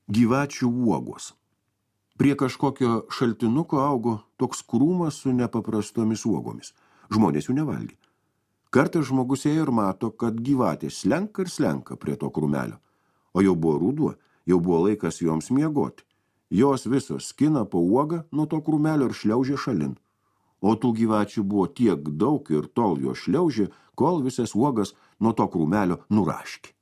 Gyvačių uogos. Prie kažkokio šaltinuko augo toks krūmas su nepaprastomis uogomis. Žmonės jų nevalgė. Kartais žmogus ėjo ir mato, kad gyvatės slenka ir slenka prie to krūmelio. O jau buvo ruduo, jau buvo laikas joms miegoti. Jos visos skina po uogą nuo to krūmelio ir šliaužė šalin. O tų gyvačių buvo tiek daug ir tol jo šliaužė, kol visas uogas nuo to krūmelio nuraškė.